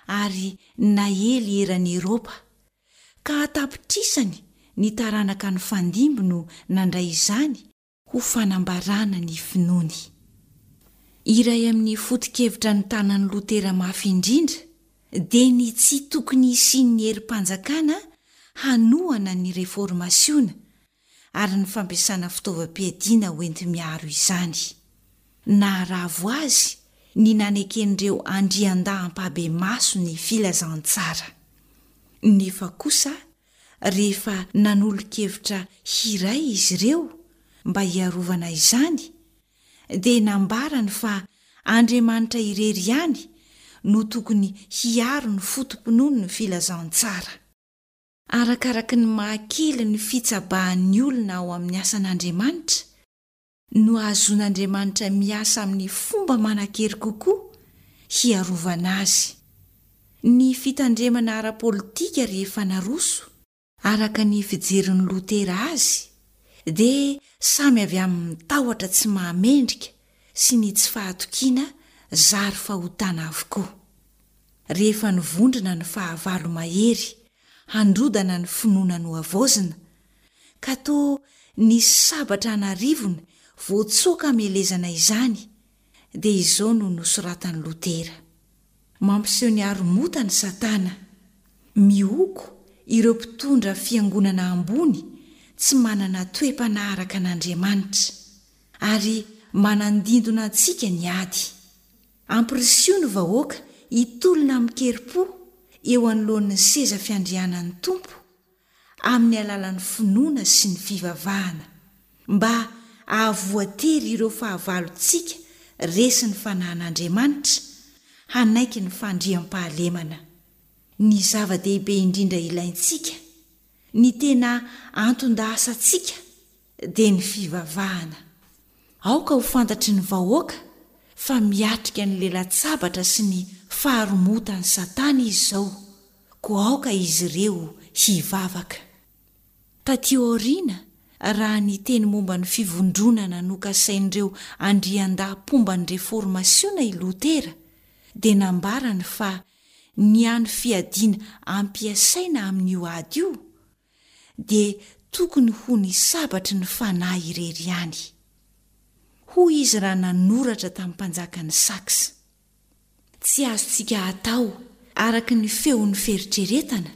ary naely eran'i Eropa, ka an-tapitrisany ny taranaka nifandimby no nandray izany ho fanambarana ny finoany. Iray amin'ny foto-kevitra notanan'i Lotera mafy indrindra dia ny tsy tokony hisian'ny herim-panjakana hanohana ny Reformasiona ary ny fampiasana fitaovam-piadiana hoenti-miaro izany. Naharavo azy ny naneken'ireo andriandahy ampahibemaso ny filazantsara. Nefa kosa rehefa nanolo-kevitra hiray izy ireo mba hiarovana izany, dia nambarany fa Andriamanitra irery ihany no tokony hiaro ny foto-pinoan'ny filazantsara. Arakaraky ny mahakely ny fitsabahan'ny olona ao amin'ny asan'Andriamanitra no ahazoan'Andriamanitra miasa amin'ny fomba manan-kery kokoa hiarovana azy. Ny fitandremana ara-politika rehefa naroso, araka ny fijerin'i Lotera azy, dia samy avy amin'ny tahotra tsy mahamendrika sy ny tsy fahatokiana zary fahotana avokoa. Rehefa nivondrona ny fahavalo mahery handrodana ny finoana nohavaozina, ka toa nisy sabatra an'arivony voatsoaka hamelezana izany, dia izao no nosoratan'i Lotera. Mampiseho ny haromotany Satana. Mihoko ireo mpitondra fiangonana ambony tsy manana toe-panahy araka an'Andriamanitra, ary manandindona antsika ny ady. Ampirisiho ny vahoaka hitolona amin-kerim-po eo anoloan'ny seza fiandrianan'ny Tompo, amin'ny alalan'ny finoana sy ny fivavahana, mba hahavoatery ireo fahavalontsika resin'ny fanahin'Andriamanitra hanaiky ny fandriampahalemana. Ny zava-dehibe indrindra ilaintsika, ny tena anton-dahasantsika, dia ny fivavahana. Aoka ho fantatry ny vahoaka fa miatrika ny lela-tsabatra sy ny faharomotan'i Satana izy izao, koa aoka izy ireo hivavaka. Tatỳ aoriana, raha niteny momba ny fivondronana nokasain'ireo andriandahy mpomba ny Reformasiona i Lotera, dia nambarany fa ny hany fiadiana ampiasaina amin'io ady io dia tokony ho ny sabatry ny fanahy irery ihany. Hoy izy raha nanoratra tamin'ny mpanjakan'i Saxe, Tsy azontsika atao araka ny feon'ny fieritreretana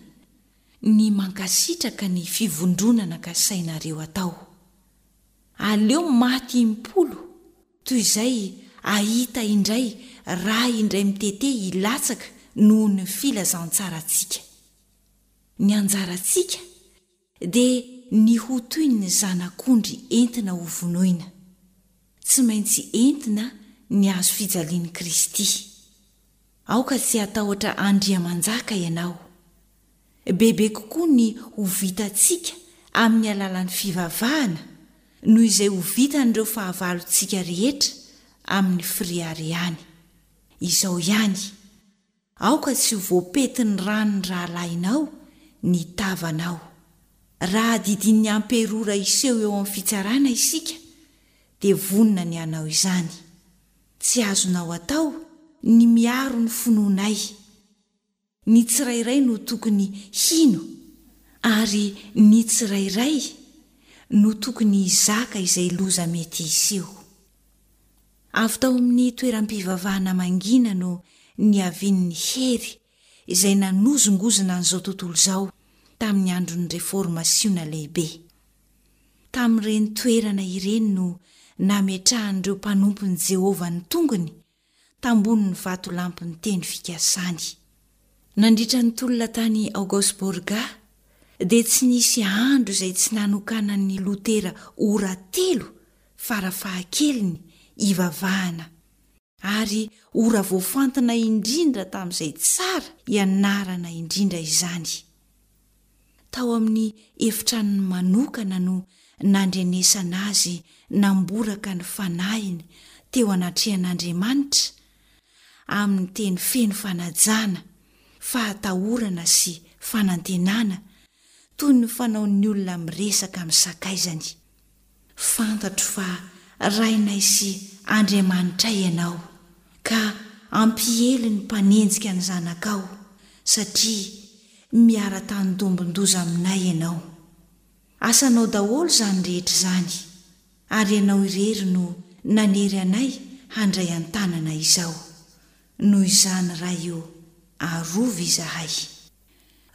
ny mankasitraka ny fivondronana kasainareo atao. Aleo maty impolo toy izay ahita indray ra indray mitete hilatsaka noho ny filazantsarantsika. Ny anjarantsika dia ny ho toy ny zanak'ondry entina ho vonoina. Tsy maintsy entina ny hazo fijalian'i Kristy. Aoka tsy hatahotra Andriamanjaka ianao. Bebe kokoa ny ho vitantsika amin'ny alalan'ny fivavahana noho izay ho vitan'ireo fahavalontsika rehetra amin'ny fireharehany. Izao ihany. Aoka tsy ho voapentin'ny ran'ny rahalahinao ny tavanao. Raha didian'ny amperora hiseho eo amin'ny fitsarana isika, dia vonona ny hanao izany. Tsy azonao atao ny miaro ny finoanay. Ny tsirairay no tokony hino, ary ny tsirairay no tokony hizaka izay loza mety hiseho. Avy tao amin'ny toeram-pivavahana mangina no niavian'ny hery izay nanozongozona an'izao tontolo izao tamin'ny andron'ny Reformasiona Lehibe. Tamin'ireny toerana ireny no nametrahan'ireo mpanompon'i Jehovah ny tongony tambonin'ny vatolampin'ny teny fikasany. Nandritra ny tolona tany Augsburg, dia tsy nisy andro izay tsy nanokanan'i Lotera ora telo fara fahakeliny hivavahana, ary ora voafantina indrindra tamin'izay tsara ianarana indrindra izany. Tao amin'ny efitranony manokana no nandrenesana azy namboraka ny fanahiny teo anatrehan'Andriamanitra amin'ny teny feno fanajana, fahatahorana sy fanantenana, toy ny fanaon'ny olona miresaka amin'ny sakaizany. Fantatro fa Rainay sy Andriamanitray Ianao, ka hampiely ny mpanenjika ny zanakao, satria miara-tanindombin-doza aminay Ianao. Asanao daholo izany rehetra izany, ary Ianao irery no nanery anay handray an-tanana izao. Noho izany Ray o, arovy izahay.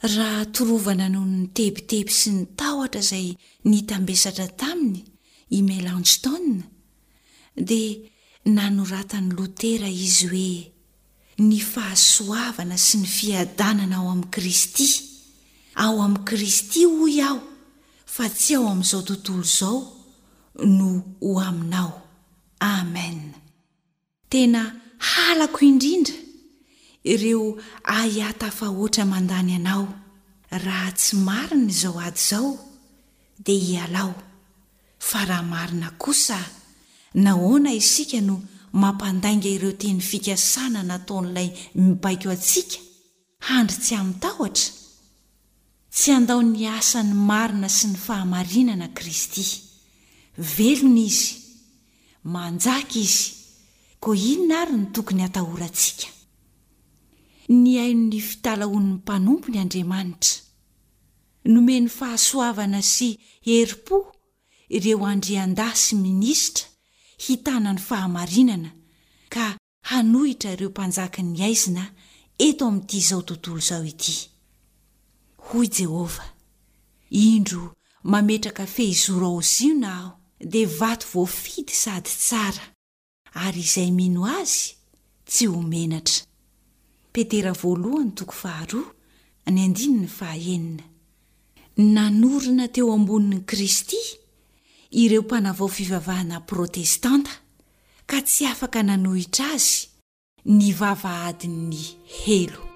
Raha torovana noho ny tebiteby sy ny tahotra izay nitambesatra taminy i Melanchthon, dia nanoratan'i Lotera izy hoe, Ny fahasoavana sy ny fiadanana ao amin'i Kristy, ao amin'i Kristy hoy aho fa tsy ao amin'izao tontolo izao, no ho aminao. Amen. Tena halako indrindra ireo ahiahy tafahoatra mandany anao, raha tsy marina izao ady izao dia hialao, fa raha marina kosa nahoana isika no mampandainga ireo teny fikasana nataon'ilay mibaiko antsika Handry tsy amin-tahotra? Tsy handao ny asan'ny marina sy ny fahamarinana Kristy. Velona Izy. Manjaka Izy. Koa inona àry no tokony hatahorantsika? Nihaino ny fitalahoan'ny mpanompony Andriamanitra. Nomeny fahasoavana sy herim-po ireo andriandahy sy minisitra hitana ny fahamarinana ka hanohitra ireo mpanjakan'ny haizina eto amin'ity izao tontolo izao ity. Hoy Jehovah, Indro mametraka fehizoro ao Ziona aho, dia vato voafidy sady tsara, ary izay mino azy tsy ho menatra. Petera voalohany toko faharoa, ny andininy fahaenina. Nanorina teo ambonin'i Kristy ireo mpanavao fivavahana protestanta, ka tsy afaka nanohitra azy ny vavahadin'ny helo.